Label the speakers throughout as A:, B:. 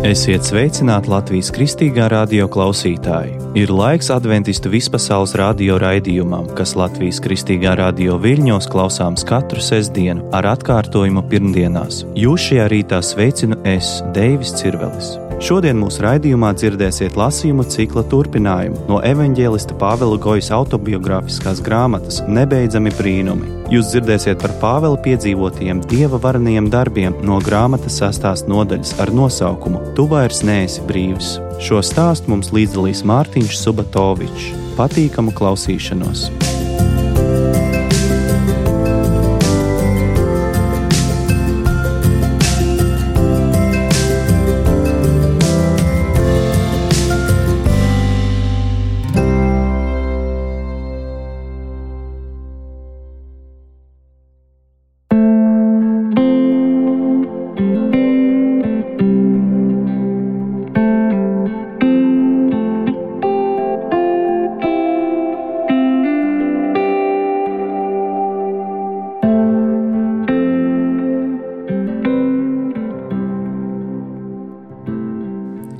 A: Esiet sveicināti Latvijas Kristīgā radio klausītāji. Ir laiks adventistu vispasaules radio raidījumam, kas Latvijas Kristīgā radio Viļņos klausāms katru sestdienu ar atkārtojumu pirmdienās. Jūs šajā rītā sveicinu es, Deivis Cirvelis. Šodien mūsu raidījumā dzirdēsiet lasījumu cikla turpinājumu no evaņģēlista Pāvela Gojas autobiogrāfiskās grāmatas Nebeidzami brīnumi. Jūs dzirdēsiet par Pāvela piedzīvotajiem dieva varenajiem darbiem no grāmatas 6. nodaļas ar nosaukumu Tu vairs neesi brīvs. Šo stāstu mums līdzdalīs Mārtiņš Subatovičs. Patīkamu klausīšanos!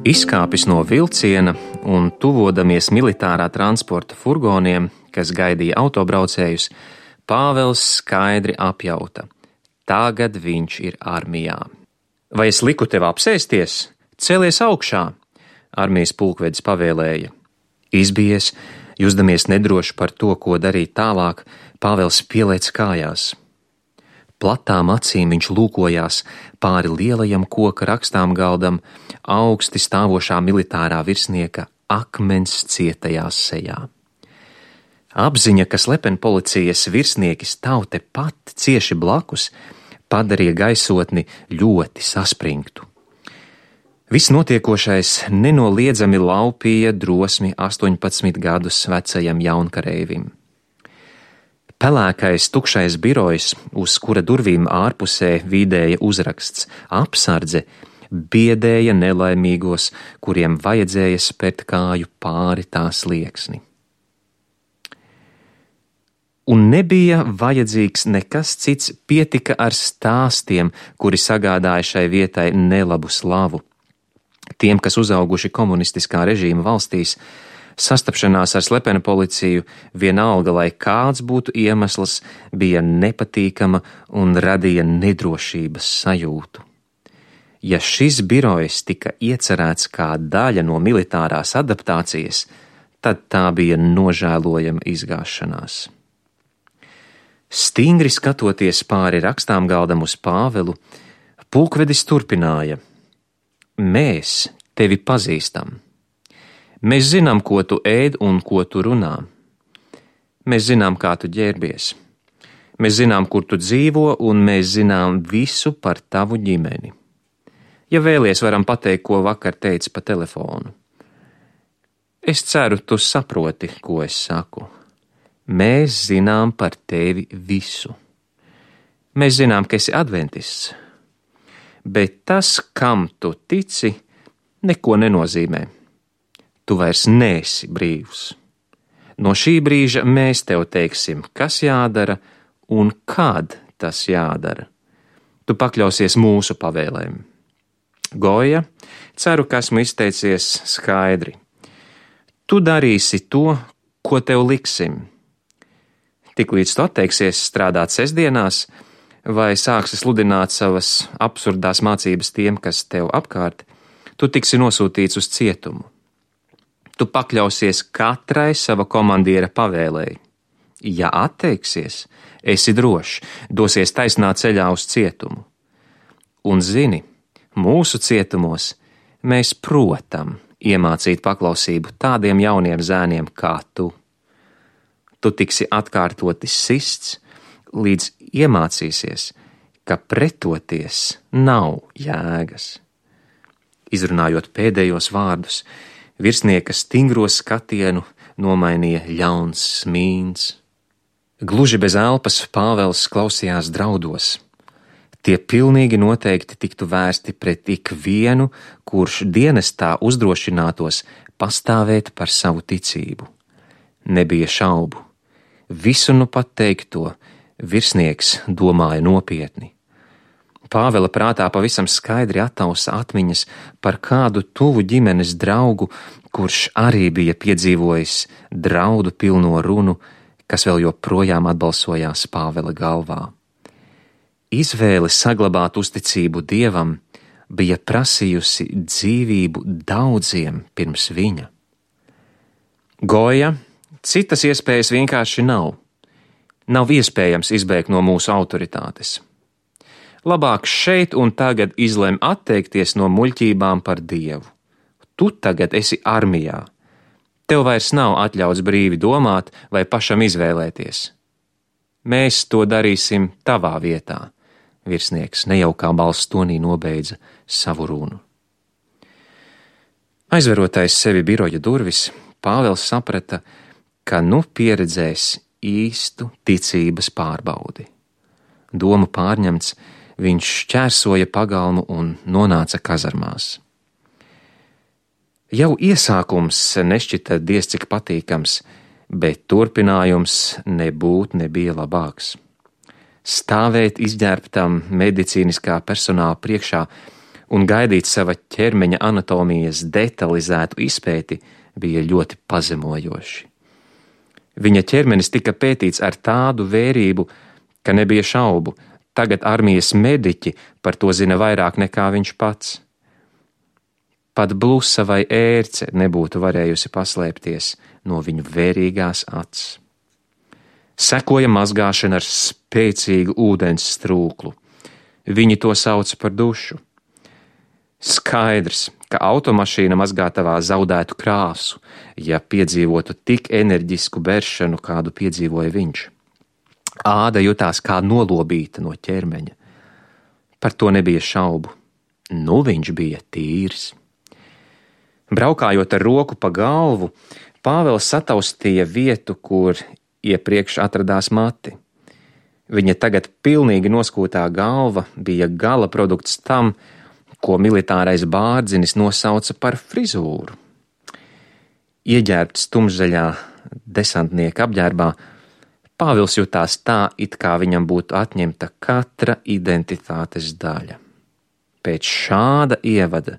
B: Izkāpis no vilciena un tuvodamies militārā transporta furgoniem, kas gaidīja autobraucējus, Pāvels skaidri apjauta. Tagad viņš ir armijā. Vai es liku tev apsēsties? Celies augšā, armijas pulkvedis pavēlēja. Izbijies, jusdamies nedroši par to, ko darīt tālāk, Pāvels pielēc kājās. Platām acīm viņš lūkojās pāri lielajam koka rakstām galdam, augsti stāvošā militārā virsnieka akmens cietajās sejā. Apziņa, ka slepenpolicijas virsnieki stāv tepat cieši blakus, padarīja gaisotni ļoti saspringtu. Viss notiekošais nenoliedzami laupīja drosmi 18 gadus vecajam jaunkareivim. Pelēkais tukšais birojs, uz kura durvīm ārpusē vīdēja uzraksts apsardze, biedēja nelaimīgos, kuriem vajadzēja spērt kāju pāri tā slieksni. Un nebija vajadzīgs nekas cits, pietika ar stāstiem, kuri sagādāja šai vietai nelabu slavu. Tiem, kas uzauguši komunistiskā režīma valstīs, sastapšanās ar slepenu policiju, vienalga, lai kāds būtu iemesls, bija nepatīkama un radīja nedrošības sajūtu. Ja šis birojs tika iecerēts kā daļa no militārās adaptācijas, tad tā bija nožēlojama izgāšanās. Stingri skatoties pāri rakstām galdam uz Pāvelu, pulkvedis turpināja: Mēs tevi pazīstam. Mēs zinām, ko tu ēd un ko tu runā. Mēs zinām, kā tu ģērbies. Mēs zinām, kur tu dzīvo, un mēs zinām visu par tavu ģimeni. Ja vēlies, varam pateikt, ko vakar teici pa telefonu. Es ceru, tu saproti, ko es saku. Mēs zinām par tevi visu. Mēs zinām, ka esi adventists. Bet tas, kam tu tici, neko nenozīmē. Tu vairs neesi brīvs. No šī brīža mēs tev teiksim, kas jādara un kad tas jādara. Tu pakļausies mūsu pavēlēm. Goja, ceru, ka esmu izteicies skaidri. Tu darīsi to, ko tev liksim. Tiklīdz tu atteiksies strādāt sestdienās vai sāksi sludināt savas absurdās mācības tiem, kas tev apkārt, tu tiksi nosūtīts uz cietumu. Tu pakļausies katrai sava komandiera pavēlei. Ja atteiksies, esi drošs, dosies taisnā ceļā uz cietumu. Un zini, mūsu cietumos mēs protam iemācīt paklausību tādiem jauniem zēniem kā tu. Tu tiksi atkārtoti sists, līdz iemācīsies, ka pretoties nav jēgas. Izrunājot pēdējos vārdus, virsnieka stingro skatienu nomainīja ļauns smīns. Gluži bez elpas Pāvels klausījās draudos. Tie pilnīgi noteikti tiktu vērsti pret ikvienu, kurš dienestā uzdrošinātos pastāvēt par savu ticību. Nebija šaubu. Visu nu pat teikto virsnieks domāja nopietni. Pāvela prātā pavisam skaidri attausa atmiņas par kādu tuvu ģimenes draugu, kurš arī bija piedzīvojis draudu pilno runu, kas vēl joprojām atbalsojās Pāvela galvā. Izvēle saglabāt uzticību Dievam bija prasījusi dzīvību daudziem pirms viņa. Goja, citas iespējas vienkārši nav. Nav iespējams izbēgt no mūsu autoritātes. Labāk šeit un tagad izlem atteikties no muļķībām par Dievu. Tu tagad esi armijā. Tev vairs nav atļauts brīvi domāt vai pašam izvēlēties. Mēs to darīsim tavā vietā, virsnieks nejaukā balss tonī nobeidza savu runu. Aizverotais sevi biroja durvis, Pāvels saprata, ka nu pieredzēs īstu ticības pārbaudi. Domu pārņemts, viņš šķērsoja pagalmu un nonāca kazarmās. Jau iesākums nešķita diez cik patīkams, bet turpinājums nebija labāks. Stāvēt izģērbtam medicīniskā personāla priekšā un gaidīt sava ķermeņa anatomijas detalizētu izpēti bija ļoti pazemojoši. Viņa ķermenis tika pētīts ar tādu vērību, ka nebija šaubu, tagad armijas mediķi par to zina vairāk nekā viņš pats. Pat blusa vai ērce nebūtu varējusi paslēpties no viņu vērīgās acis. Sekoja mazgāšana ar spēcīgu ūdens strūklu. Viņi to sauc par dušu. Skaidrs, ka automašīna mazgātavā zaudētu krāsu, ja piedzīvotu tik enerģisku beršanu, kādu piedzīvoja viņš. Āda jutās kā nolobīta no ķermeņa. Par to nebija šaubu. Nu viņš bija tīrs. Braukājot ar roku pa galvu, Pāvels sataustīja vietu, kur iepriekš atradās mati. Viņa tagad pilnīgi noskūtā galva bija gala produkts tam, ko militārais bārdzinis nosauca par frizūru. Ieģērbts tumšzaļā desantnieka apģērbā, Pāvils jutās tā, it kā viņam būtu atņemta katra identitātes daļa. Pēc šāda ievada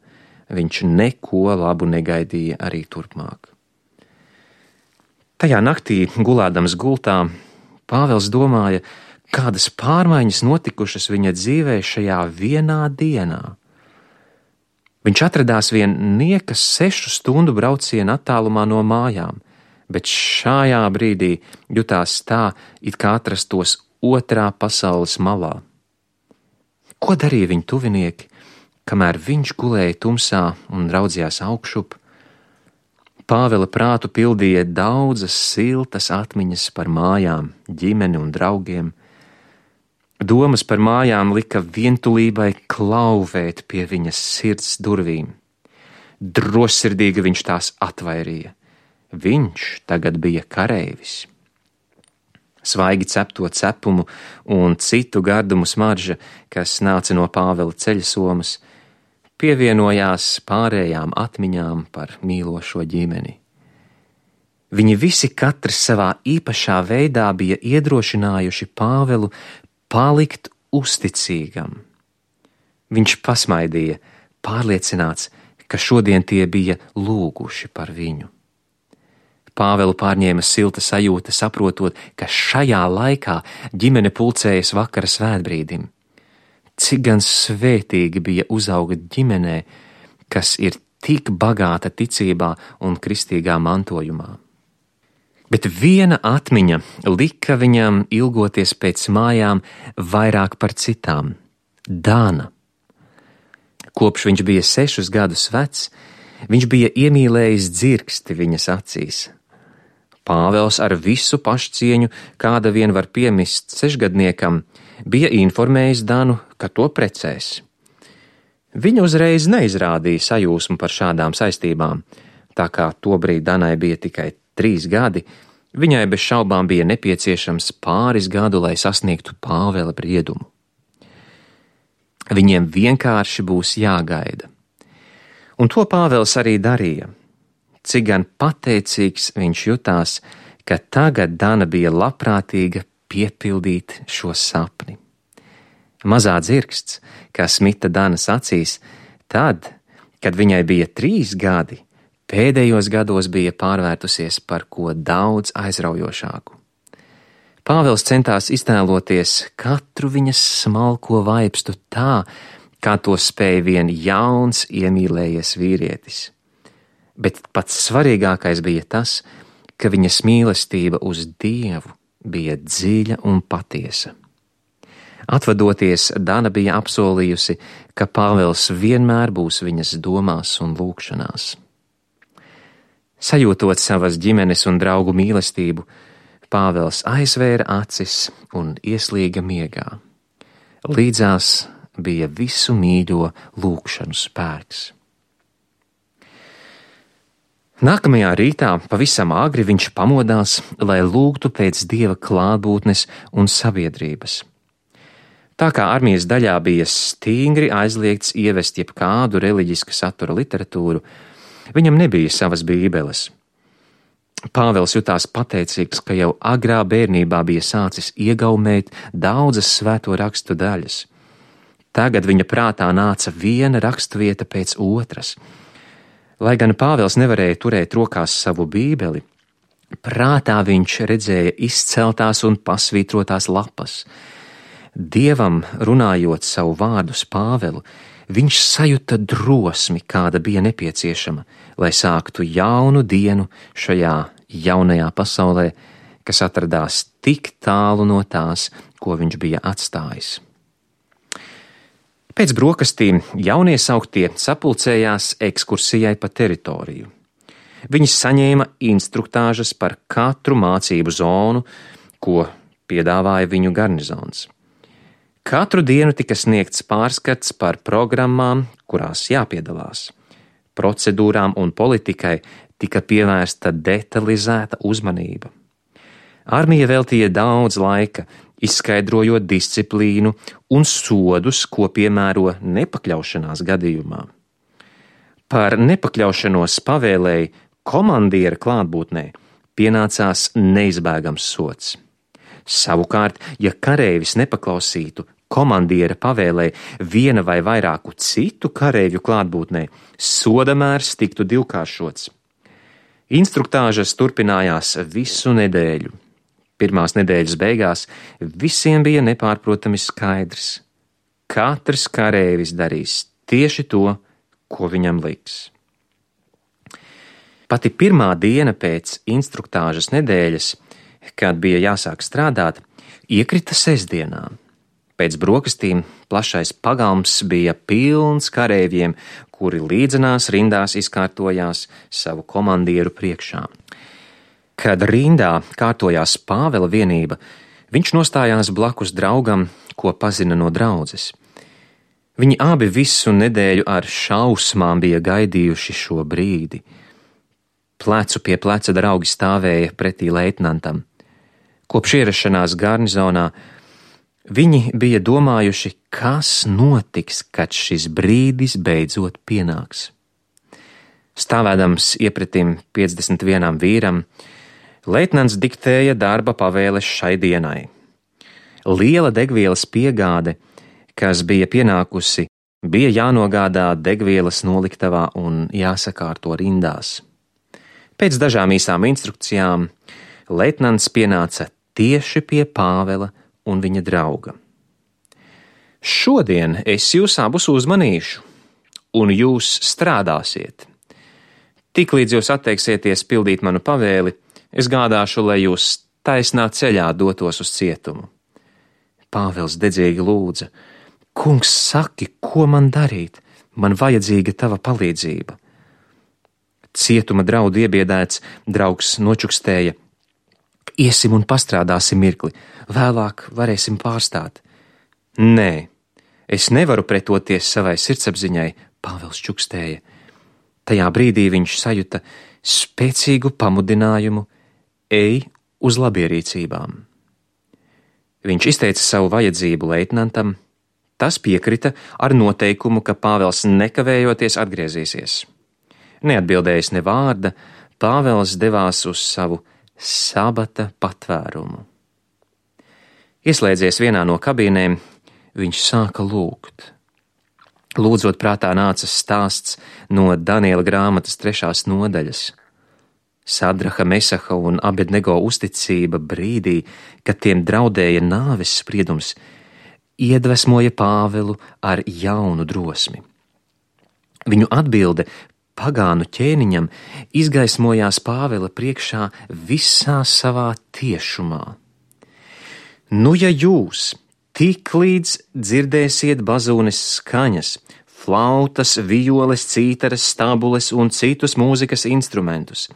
B: viņš neko labu negaidīja arī turpmāk. Tajā naktī, gulēdams gultā, Pāvils domāja, kādas pārmaiņas notikušas viņa dzīvē šajā vienā dienā. Viņš atradās vien niekas 6 stundu brauciena attālumā no mājām, bet šajā brīdī jutās tā, it kā atrastos otrā pasaules malā. Ko darīja viņa tuvinieki, kamēr viņš gulēja tumsā un raudzījās augšup? Pāvela prātu pildīja daudzas siltas atmiņas par mājām, ģimeni un draugiem. Domas par mājām lika vientulībai klauvēt pie viņas sirds durvīm. Drossirdīgi viņš tās atvairīja. Viņš tagad bija kareivis. Svaigi cepto cepumu un citu gardumu smarža, kas nāca no Pāvela ceļsomas, pievienojās pārējām atmiņām par mīlošo ģimeni. Viņi visi katrs savā īpašā veidā bija iedrošinājuši Pāvelu palikt uzticīgam. Viņš pasmaidīja, pārliecināts, ka šodien tie bija lūguši par viņu. Pāvelu pārņēma silta sajūta, saprotot, ka šajā laikā ģimene pulcējas vakara svētbrīdim. Cik gan svētīgi bija uzaugt ģimenē, kas ir tik bagāta ticībā un kristīgā mantojumā. Bet viena atmiņa lika viņam ilgoties pēc mājām vairāk par citām – Dana. Kopš viņš bija 6 gadus vecs, viņš bija iemīlējis dzirksti viņas acīs. Pāvels ar visu pašcieņu, kāda vien var piemist 6-gadniekam, bija informējis Danu, ka to precēs. Viņa uzreiz neizrādīja sajūsmu par šādām saistībām, tā kā tobrīd Danai bija tikai 3 gadi, viņai bez šaubām bija nepieciešams pāris gadu, lai sasniegtu Pāvela briedumu. Viņiem vienkārši būs jāgaida. Un to Pāvels arī darīja. Cik gan pateicīgs viņš jutās, ka tagad Dana bija labprātīga piepildīt šo sapni. Mazā dzirksts, kas mita Danas acīs, tad, kad viņai bija 3 gadi, pēdējos gados bija pārvērtusies par ko daudz aizraujošāku. Pāvils centās iztēloties katru viņas smalko vaipstu tā, kā to spēja vien jauns, iemīlējies vīrietis. Bet pats svarīgākais bija tas, ka viņas mīlestība uz Dievu bija dziļa un patiesa. Atvadoties, Dana bija apsolījusi, ka Pāvils vienmēr būs viņas domās un lūgšanās. Sajūtot savas ģimenes un draugu mīlestību, Pāvils aizvēra acis un ieslīga miegā. Līdzās bija visu mīļo lūgšanu spēks. Nākamajā rītā pavisam agri viņš pamodās, lai lūgtu pēc Dieva klātbūtnes un sabiedrības. Tā kā armijas daļā bija stingri aizliegts ievest jebkādu reliģiska satura literatūru, viņam nebija savas bībeles. Pāvils jutās pateicīgs, ka jau agrā bērnībā bija sācis iegaumēt daudzas svēto rakstu daļas. Tagad viņa prātā nāca viena raksturvieta pēc otras. Lai gan Pāvils nevarēja turēt rokās savu bībeli, prātā viņš redzēja izceltās un pasvītrotās lapas. Dievam runājot savu vārdu uz Pāvelu, viņš sajuta drosmi, kāda bija nepieciešama, lai sāktu jaunu dienu šajā jaunajā pasaulē, kas atradās tik tālu no tās, ko viņš bija atstājis. Pēc brokastīm jauniesauktie sapulcējās ekskursijai pa teritoriju. Viņi saņēma instruktāžas par katru mācību zonu, ko piedāvāja viņu garnizons. Katru dienu tika sniegts pārskats par programmām, kurās jāpiedalās. Procedūrām un politikai tika pievērsta detalizēta uzmanība. Armija veltīja daudz laika, izskaidrojot disciplīnu un sodus, ko piemēro nepakļaušanās gadījumā. Par nepakļaušanos pavēlēji komandiera klātbūtnē pienācās neizbēgams sods. Savukārt, ja kareivis nepaklausītu komandiera pavēlēji viena vai vairāku citu kareivju klātbūtnē, sodamērs tiktu divkāršots. Instruktāžas turpinājās visu nedēļu. Pirmās nedēļas beigās visiem bija nepārprotami skaidrs. Katrs kareivis darīs tieši to, ko viņam liks. Pati pirmā diena pēc instruktāžas nedēļas, kad bija jāsāk strādāt, iekrita sestdienā. Pēc brokastīm plašais pagalms bija pilns kareiviem, kuri līdzenās rindās izkārtojās savu komandieru priekšā. Kad rindā kārtojās Pāvela vienība, viņš nostājās blakus draugam, ko pazina no draudzes. Viņi abi visu nedēļu ar šausmām bija gaidījuši šo brīdi. Plecu pie pleca draugi stāvēja pretī leitnantam. Kopš ierašanās garnizonā viņi bija domājuši, kas notiks, kad šis brīdis beidzot pienāks. Stāvēdams iepretim 51 vīram, leitnants diktēja darba pavēles šai dienai. Liela degvielas piegāde, kas bija pienākusi, bija jānogādā degvielas noliktavā un jāsakārto rindās. Pēc dažām īsām instrukcijām leitnants pienāca tieši pie Pāvela un viņa drauga. Šodien es jūs abus uzmanīšu, un jūs strādāsiet. Tiklīdz jūs atteiksieties pildīt manu pavēli, es gādāšu, lai jūs taisnā ceļā dotos uz cietumu. Pāvils dedzīgi lūdza: Kungs, saki, ko man darīt? Man vajadzīga tava palīdzība. Cietuma draudu iebiedēts draugs nočukstēja: Iesim un pastrādāsim mirkli, vēlāk varēsim pārstāt. Nē, es nevaru pretoties savai sirdsapziņai, Pāvils čukstēja. Tajā brīdī viņš sajuta spēcīgu pamudinājumu: ej uz labierīcībām. Viņš izteica savu vajadzību leitnantam, tas piekrita ar noteikumu, ka Pāvils nekavējoties atgriezīsies. Neatbildējis ne vārda, Pāvils devās uz savu sabata patvērumu. Ieslēdzies vienā no kabīnēm, viņš sāka lūgt. Lūdzot prātā nāca stāsts no Daniela grāmatas 3. nodaļas. Sadraha, Mesaha un Abednego uzticība brīdī, kad tiem draudēja nāves spriedums, iedvesmoja Pāvilu ar jaunu drosmi. Viņu atbilde pagānu ķēniņam izgaismojās Pāvila priekšā visā savā tiešumā. Nu, ja jūs tik līdz dzirdēsiet bazūnes skaņas, flautas, violes, cītaras, stābules un citus mūzikas instrumentus,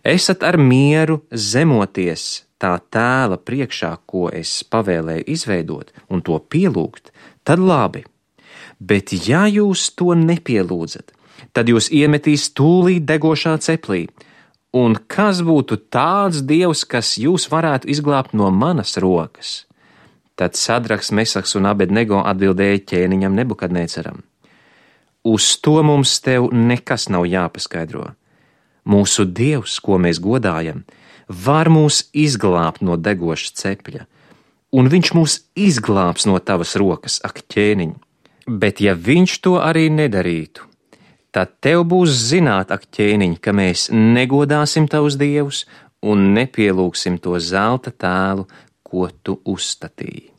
B: esat ar mieru zemoties tā tēla priekšā, ko es pavēlēju izveidot un to pielūgt, tad labi. Bet ja jūs to nepielūdzat, tad jūs iemetīs tūlīt degošā ceplī. Un kas būtu tāds dievs, kas jūs varētu izglābt no manas rokas? Tad Sadrahs, Mesahs un Abednego atbildēja ķēniņam Nebukadnēcaram. Uz to mums tev nekas nav jāpaskaidro. Mūsu dievs, ko mēs godājam, var mūs izglābt no degoša cepļa, un viņš mūs izglābs no tavas rokas, ak ķēniņ. Bet ja viņš to arī nedarītu, tad tev būs zināt, ak ķēniņ, ka mēs negodāsim tavus dievus un nepielūgsim to zelta tēlu, ko tu uzstatīji.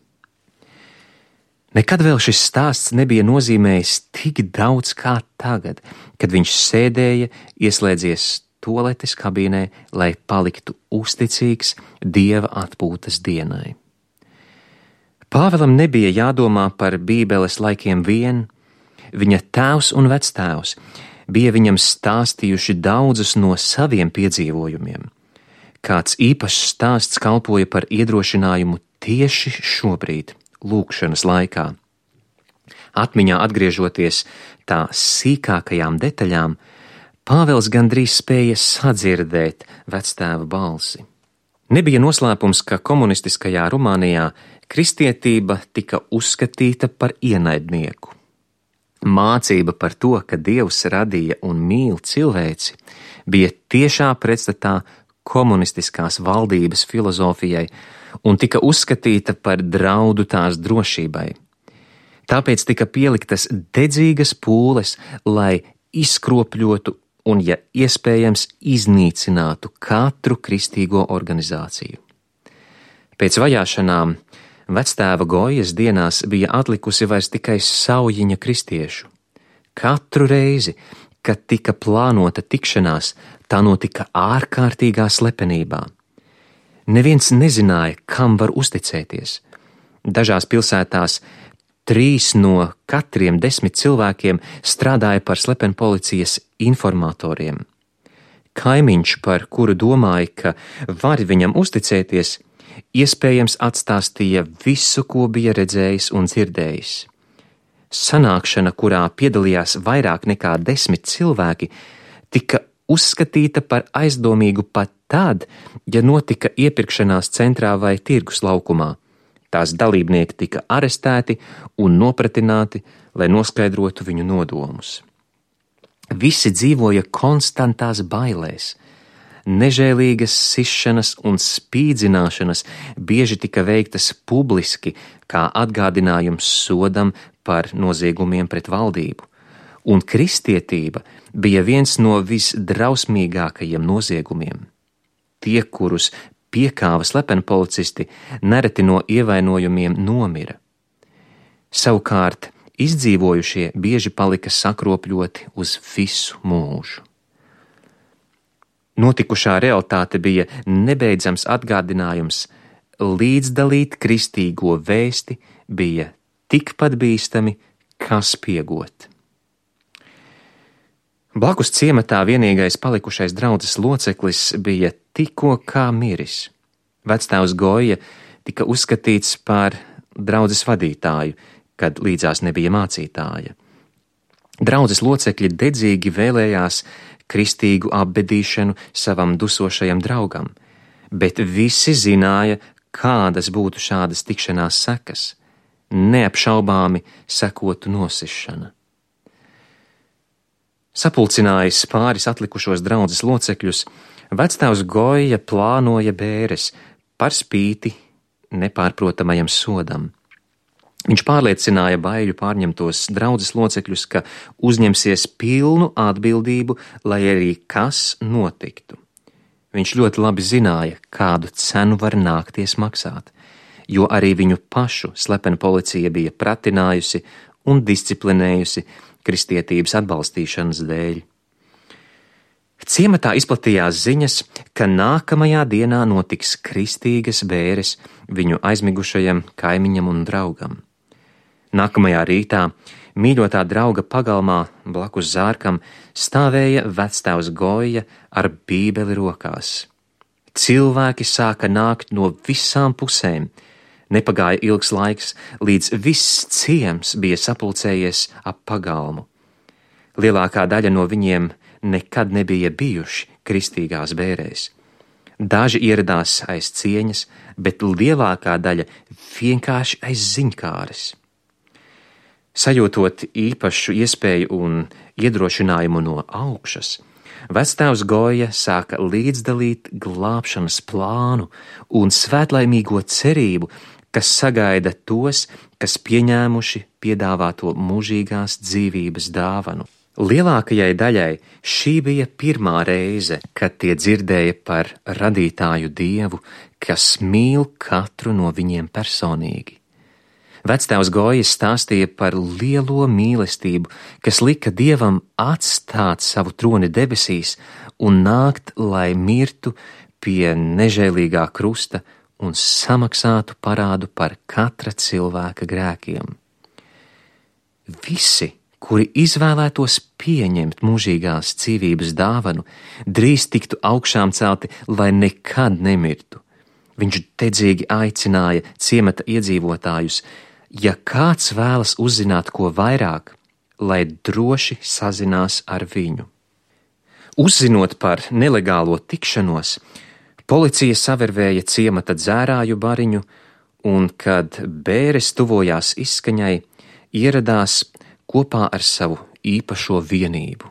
B: Nekad vēl šis stāsts nebija nozīmējis tik daudz kā tagad, kad viņš sēdēja, ieslēdzies toaletes kabīnē, lai paliktu uzticīgs Dieva atpūtas dienai. Pāvilam nebija jādomā par Bībeles laikiem vien, viņa tēvs un vectēvs bija viņam stāstījuši daudzus no saviem piedzīvojumiem. Kāds īpašs stāsts kalpoja par iedrošinājumu tieši šobrīd, lūkšanas laikā. Atmiņā atgriežoties tā sīkākajām detaļām, Pāvils gandrīz spēja sadzirdēt vectēva balsi. Nebija noslēpums, ka komunistiskajā Rumānijā kristietība tika uzskatīta par ienaidnieku. Mācība par to, ka Dievs radīja un mīl cilvēci, bija tiešā pretstatā komunistiskās valdības filozofijai un tika uzskatīta par draudu tās drošībai. Tāpēc tika pieliktas dedzīgas pūles, lai izkropļotu un, ja iespējams, iznīcinātu katru kristīgo organizāciju. Pēc vajāšanām vectēva Gojas dienās bija atlikusi vairs tikai saujiņa kristiešu. Katru reizi, kad tika plānota tikšanās, tā notika ārkārtīgā slepenībā. Neviens nezināja, kam var uzticēties. Dažās pilsētās 3 no katriem 10 cilvēkiem strādāja par slepenpolicijas informatoriem. Kaimiņš, par kuru domāja, ka var viņam uzticēties, iespējams atstāstīja visu, ko bija redzējis un dzirdējis. Sanākšana, kurā piedalījās vairāk nekā 10 cilvēki, tika uzskatīta par aizdomīgu pat tad, ja notika iepirkšanās centrā vai tirgus laukumā. Tās dalībnieki tika arestēti un nopratināti, lai noskaidrotu viņu nodomus. Visi dzīvoja konstantās bailēs. Nežēlīgas sišanas un spīdzināšanas bieži tika veiktas publiski, kā atgādinājums sodam par noziegumiem pret valdību. Un kristietība bija viens no visdrausmīgākajiem noziegumiem. Tie, kurus piekāva slepenpolicisti, nereti no ievainojumiem nomira. Savukārt, izdzīvojušie bieži palika sakropļoti uz visu mūžu. Notikušā realitāte bija nebeidzams atgādinājums, līdzdalīt kristīgo vēsti bija tikpat bīstami, kā spiegot. Blakus ciematā vienīgais palikušais draudzes loceklis bija tikko kā miris. Vectēvs Goja tika uzskatīts par draudzes vadītāju, kad līdzās nebija mācītāja. Draudzes locekļi dedzīgi vēlējās kristīgu apbedīšanu savam dusošajam draugam, bet visi zināja, kādas būtu šādas tikšanās sekas. Neapšaubāmi sekotu nosišana. Sapulcinājis pāris atlikušos draudzes locekļus, vectēvs Goja plānoja bēres par spīti nepārprotamajam sodam. Viņš pārliecināja baiļu pārņemtos draudzes locekļus, ka uzņemsies pilnu atbildību, lai arī kas notiktu. Viņš ļoti labi zināja, kādu cenu var nākties maksāt, jo arī viņu pašu slepena policija bija pratinājusi un disciplinējusi kristietības atbalstīšanas dēļ. Ciematā izplatījās ziņas, ka nākamajā dienā notiks kristīgas bēres viņu aizmigušajam kaimiņam un draugam. Nākamajā rītā mīļotā drauga pagalmā blakus zārkam stāvēja vectēvs Goja ar bībeli rokās. Cilvēki sāka nākt no visām pusēm. Nepagāja ilgs laiks, līdz viss ciems bija sapulcējies ap pagalmu. Lielākā daļa no viņiem nekad nebija bijuši kristīgās bērēs. Daži ieradās aiz cieņas, bet lielākā daļa vienkārši aiz ziņkāres. Sajūtot īpašu iespēju un iedrošinājumu no augšas, vectēvs Goja sāka līdzdalīt glābšanas plānu un svētlaimīgo cerību, kas sagaida tos, kas pieņēmuši piedāvāto mūžīgās dzīvības dāvanu. Lielākajai daļai šī bija pirmā reize, kad tie dzirdēja par radītāju Dievu, kas mīl katru no viņiem personīgi. Vectēvs Goja stāstīja par lielo mīlestību, kas lika Dievam atstāt savu troni debesīs un nākt, lai mirtu pie nežēlīgā krusta un samaksātu parādu par katra cilvēka grēkiem. Visi, kuri izvēlētos pieņemt mūžīgās dzīvības dāvanu, drīz tiktu augšām celti, lai nekad nemirtu. Viņš dedzīgi aicināja ciemata iedzīvotājus, ja kāds vēlas uzzināt ko vairāk, lai droši sazinās ar viņu. Uzzinot par nelegālo tikšanos, policija savervēja ciemata dzērāju bariņu, un, kad bēres tuvojās izskaņai, ieradās kopā ar savu īpašo vienību.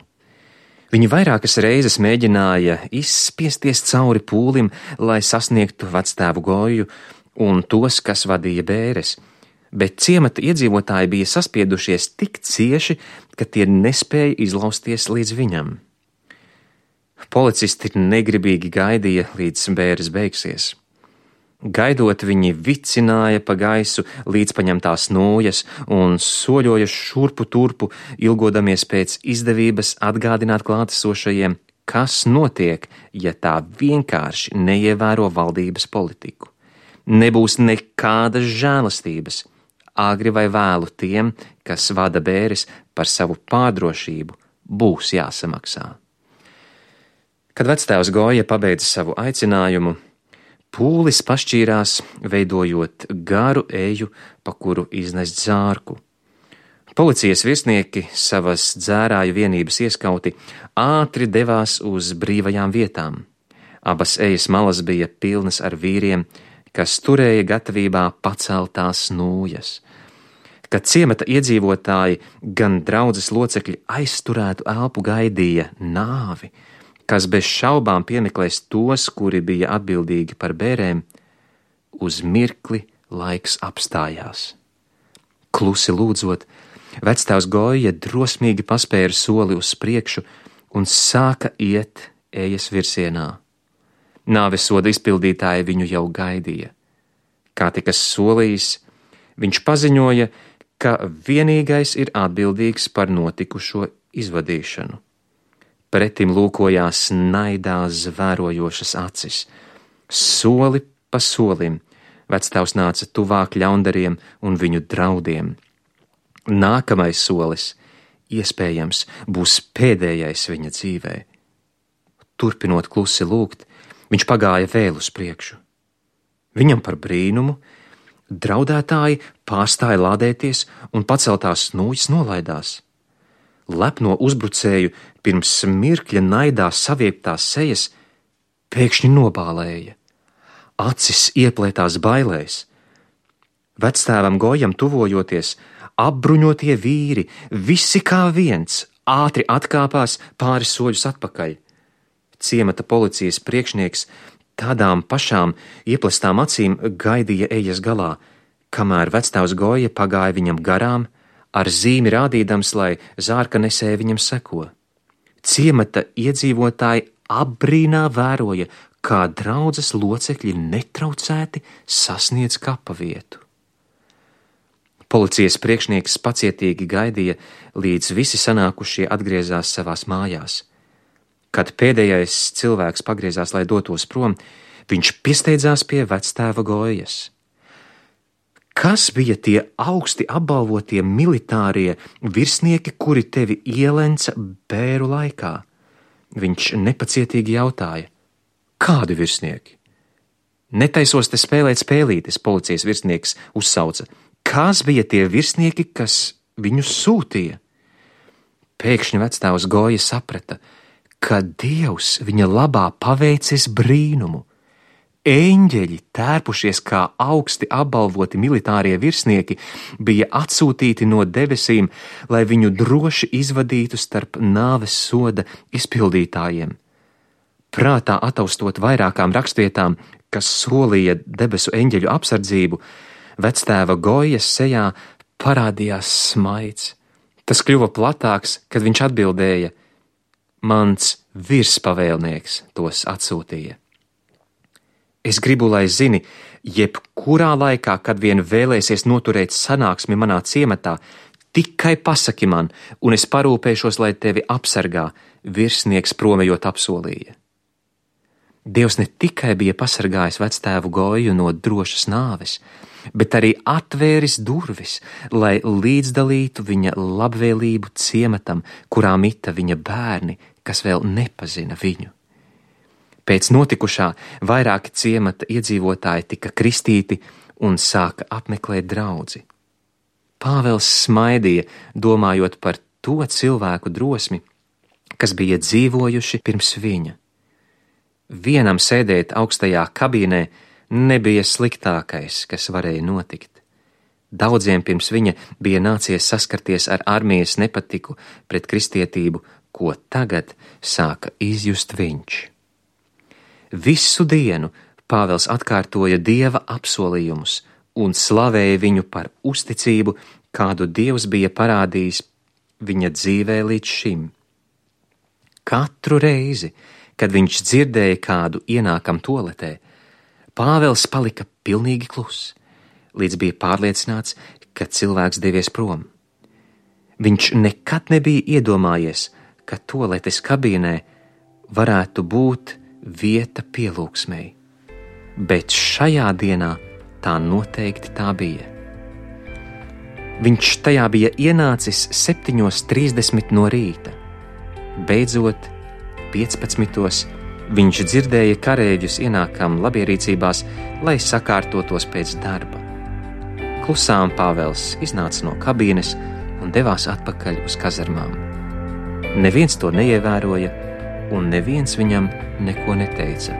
B: Viņi vairākas reizes mēģināja izspiesties cauri pūlim, lai sasniegtu vectēvu Goju un tos, kas vadīja bēres, bet ciemata iedzīvotāji bija saspiedušies tik cieši, ka tie nespēja izlausties līdz viņam. Policisti negribīgi gaidīja, līdz bēres beigsies. Gaidot, viņi vicināja pa gaisu līdz paņemtās nūjas un soļoja šurpu turpu, ilgodamies pēc izdevības atgādināt klātesošajiem, kas notiek, ja tā vienkārši neievēro valdības politiku. Nebūs nekādas žēlastības. Agri vai vēlu tiem, kas vada bēres, par savu pārdrošību būs jāsamaksā. Kad vectēvs Goja pabeidza savu aicinājumu, pūlis pašķīrās, veidojot garu eju, pa kuru iznest zārku. Policijas virsnieki, savas dzērāju vienības ieskauti, ātri devās uz brīvajām vietām. Abas ejas malas bija pilnas ar vīriem, kas turēja gatavībā paceltās nūjas. Kad ciemata iedzīvotāji, gan draudzes locekļi aizturētu elpu gaidīja nāvi, kas bez šaubām piemeklēs tos, kuri bija atbildīgi par bērēm, uz mirkli laiks apstājās. Klusi lūdzot, vectēvs Goja drosmīgi paspēra soli uz priekšu un sāka iet ejas virsienā. Nāvesoda izpildītāji viņu jau gaidīja. Kā tikas solījis, viņš paziņoja, ka vienīgais ir atbildīgs par notikušo izvadīšanu. Pretim lūkojās naidā zvērojošas acis. Soli pa solim vectēvs nāca tuvāk ļaundariem un viņu draudiem. Nākamais solis, iespējams, būs pēdējais viņa dzīvē. Turpinot klusi lūgt, viņš pagāja vēl uz priekšu. Viņam par brīnumu draudētāji pārstāja lādēties un paceltās nūjas nolaidās. Lepno uzbrucēju pirms mirkļa naidā saviektās sejas pēkšņi nobālēja. Acis ieplētās bailēs. Vectēvam Gojam tuvojoties, apbruņotie vīri, visi kā viens, ātri atkāpās pāris soļus atpakaļ. Ciemata policijas priekšnieks tādām pašām ieplestām acīm gaidīja ejas galā, kamēr vectēvs Goja pagāja viņam garām, ar zīmi rādīdams, lai zārka nesēja viņam seko. Ciemata iedzīvotāji apbrīnā vēroja, kā draudzes locekļi netraucēti sasniedz kapa vietu. Policijas priekšnieks pacietīgi gaidīja, līdz visi sanākušie atgriezās savās mājās. Kad pēdējais cilvēks pagriezās, lai dotos prom, viņš piesteidzās pie vectēva Gojas. Kas bija tie augsti apbalvotie militārie virsnieki, kuri tevi ielenca bēru laikā? Viņš nepacietīgi jautāja. Kādi virsnieki? Netaisos te spēlēt spēlītes, policijas virsnieks uzsauca. Kas bija tie virsnieki, kas viņus sūtīja? Pēkšņi vectēvs Goja saprata, ka Dievs viņa labā paveicis brīnumu. Eņģeļi, tērpušies kā augsti apbalvoti militārie virsnieki, bija atsūtīti no debesīm, lai viņu droši izvadītu starp nāves soda izpildītājiem. Prātā ataustot vairākām rakstvietām, kas solīja debesu eņģeļu apsardzību, vectēva Gojas sejā parādījās smaids. Tas kļuva platāks, kad viņš atbildēja: Mans virspavēlnieks tos atsūtīja. Es gribu, lai zini, jebkurā laikā, kad vien vēlēsies noturēt sanāksmi manā ciematā, tikai pasaki man, un es parūpēšos, lai tevi apsargā, virsnieks promejot apsolīja. Dievs ne tikai bija pasargājis vectēvu Goju no drošas nāves, bet arī atvēris durvis, lai līdzdalītu viņa labvēlību ciematam, kurā mita viņa bērni, kas vēl nepazina viņu. Pēc notikušā vairāki ciemata iedzīvotāji tika kristīti un sāka apmeklēt draudzi. Pāvels smaidīja, domājot par to cilvēku drosmi, kas bija dzīvojuši pirms viņa. Vienam sēdēt augstajā kabīnē nebija sliktākais, kas varēja notikt. Daudziem pirms viņa bija nācies saskarties ar armijas nepatiku pret kristietību, ko tagad sāka izjust viņš. Visu dienu Pāvels atkārtoja Dieva apsolījumus un slavēja viņu par uzticību, kādu Dievs bija parādījis viņa dzīvē līdz šim. Katru reizi, kad viņš dzirdēja kādu ienākam toaletē, Pāvels palika pilnīgi kluss, līdz bija pārliecināts, ka cilvēks devies prom. Viņš nekad nebija iedomājies, ka toaletes kabīnē varētu būt vieta pielūgsmei, bet šajā dienā tā noteikti tā bija. Viņš tajā bija ienācis 7:30 no rīta. Beidzot, 15. viņš dzirdēja karēģus ienākam labierīcībās, lai sakārtotos pēc darba. Klusām Pāvels iznāca no kabīnes un devās atpakaļ uz kazarmām. Neviens to neievēroja, un neviens viņam neko neteica.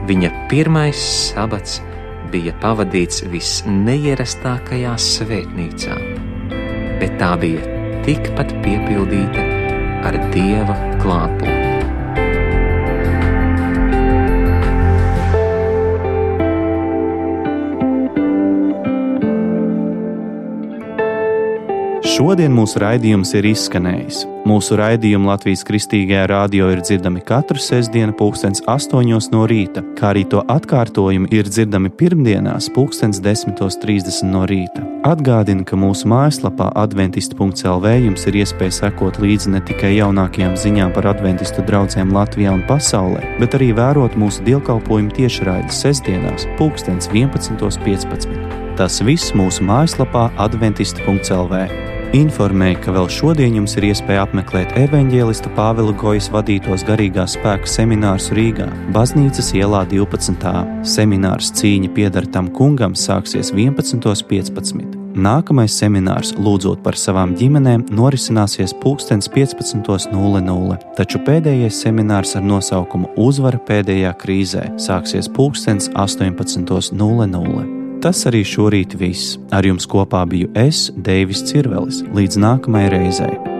B: Viņa pirmais sabats bija pavadīts visneierastākajā svētnīcā, bet tā bija tikpat piepildīta ar Dieva klātbūtni.
A: Šodien mūsu raidījums ir izskanējis. Mūsu raidījumi Latvijas Kristīgajā radio ir dzirdami katru sestdienu 8:00 no rīta, kā arī to atkārtojumi ir dzirdami pirmdienās 10:30 no rīta. Atgādinu, ka mūsu mājaslapā adventisti.lv jums ir iespēja sekot līdzi ne tikai jaunākajām ziņām par adventistu draugiem Latvijā un pasaulē, bet arī vērot mūsu dievkalpojumu tiešraides sestdienās 11:15. Tas viss mūsu mājaslapā adventisti.lv. Informēja, ka vēl šodien jums ir iespēja apmeklēt evaņģēlista Pāvela Gojas vadītos garīgās spēka seminārus Rīgā, Baznīcas ielā 12. Seminārs Cīņa pieder tam kungam sāksies 11:15. Nākamais seminārs Lūdzot par savām ģimenēm norisināsies 15:00, taču pēdējais seminārs ar nosaukumu Uzvara pēdējā krīzē sāksies 18:00. Tas arī šorīt viss. Ar jums kopā biju es, Deivis Cirvelis. Līdz nākamajai reizei.